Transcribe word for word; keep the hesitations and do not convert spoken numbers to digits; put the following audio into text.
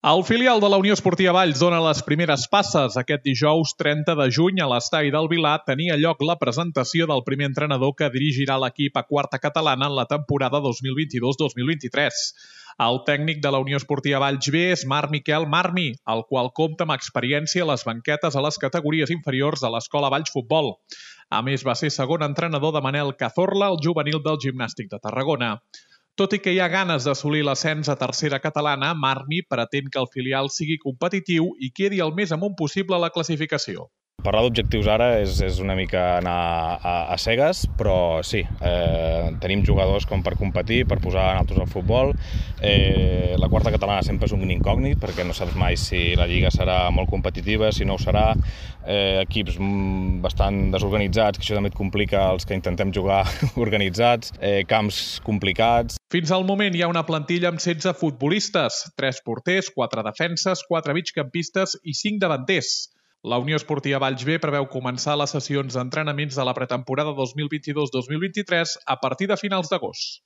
El filial de la Unió Esportiva Valls dona les primeres passes. Aquest dijous trenta de juny a l'estadi del Vilar tenia lloc la presentació del primer entrenador que dirigirà l'equip a quarta catalana en la temporada dos mil vint-i-dos dos mil vint-i-tres. El tècnic de la Unió Esportiva Valls B és Marc Miquel Marmi, el qual compta amb experiència a les banquetes a les categories inferiors de l'Escola Valls Futbol. A més, va ser segon entrenador de Manel Cazorla, el juvenil del Gimnàstic de Tarragona. Tot i que hi ha ganes d'assolir l'ascens a tercera catalana, Marmi pretén que el filial sigui competitiu i quedi el més amunt possible a la classificació. Parlar d'objectius ara és, és una mica anar a, a cegues, però sí, eh, tenim jugadors com per competir, per posar nosaltres al futbol. Eh, la quarta catalana sempre és un incògnit, perquè no saps mai si la lliga serà molt competitiva, si no ho serà. Eh, equips bastant desorganitzats, que això també et complica els que intentem jugar organitzats, eh, camps complicats. Fins al moment hi ha una plantilla amb setze futbolistes, tres porters, quatre defenses, quatre migcampistes i cinc davanters. La Unió Esportiva Valls B preveu començar les sessions d'entrenaments de la pretemporada dos mil vint-i-dos dos mil vint-i-tres a partir de finals d'agost.